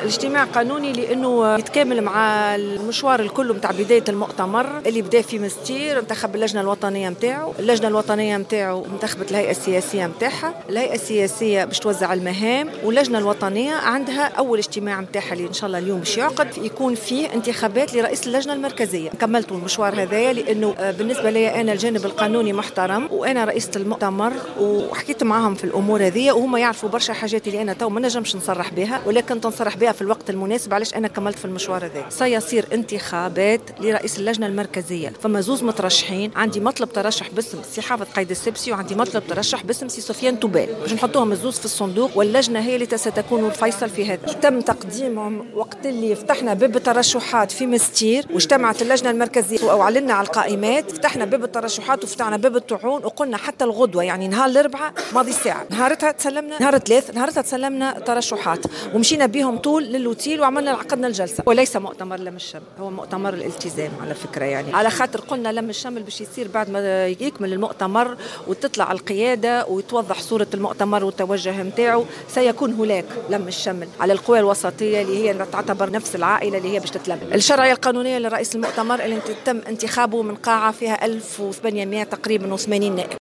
الاجتماع قانوني لانه يتكامل مع المشوار الكل نتاع بداية المؤتمر اللي بدا في مستير. انتخب اللجنة الوطنية نتاعو، اللجنة الوطنية نتاعو انتخبت الهيئة السياسية نتاعها، الهيئة السياسية باش توزع المهام، واللجنة الوطنية عندها اول اجتماع نتاعها اللي ان شاء الله اليوم باش يعقد، يكون فيه انتخابات لرئيس اللجنة المركزية. كملت المشوار هذايا لانه بالنسبة لي انا الجانب القانوني محترم، وانا رئيسه المؤتمر وحكيت معاهم في الامور هذه، وهم يعرفوا برشا حاجات اللي انا تو ما نجمش نصرح بها، ولكن تنصرح بها في الوقت المناسب. علاش انا كملت في المشوار هذا؟ سيصير انتخابات لرئيس اللجنة المركزية، فما زوز مترشحين، عندي مطلب ترشح باسم سي حافظ قايد السبسي وعندي مطلب ترشح باسم سي سفيان توبال، باش نحطوهم الزوز في الصندوق، واللجنة هي اللي ستكون الفيصل في هذا. تم تقديمهم وقت اللي فتحنا باب الترشحات في مستير، واجتمعت اللجنة المركزية واعلنا على القائمات، فتحنا باب الترشحات وفتحنا باب الطعون، وقلنا حتى الغدوه، يعني نهار الاربعاء ماضي ساعة، نهارتها تسلمنا، نهار الثلاث نهارتها تسلمنا ترشحات، ومشينا بهم طول للوتيل وعملنا عقدنا الجلسة. وليس مؤتمر لم الشمل، هو مؤتمر الالتزام على فكرة، يعني على خاطر قلنا لم الشمل باش يصير بعد ما يكمل المؤتمر وتطلع القيادة ويتوضح صوره المؤتمر والتوجه نتاعو، سيكون هناك لم الشمل على القوى الوسطية اللي هي تعتبر نفس العائلة اللي هي باش تتلم. الشرعية القانونية لرئيس المؤتمر اللي تم انتخابه من قاعة فيها 1800 تقريبا و80 نائب.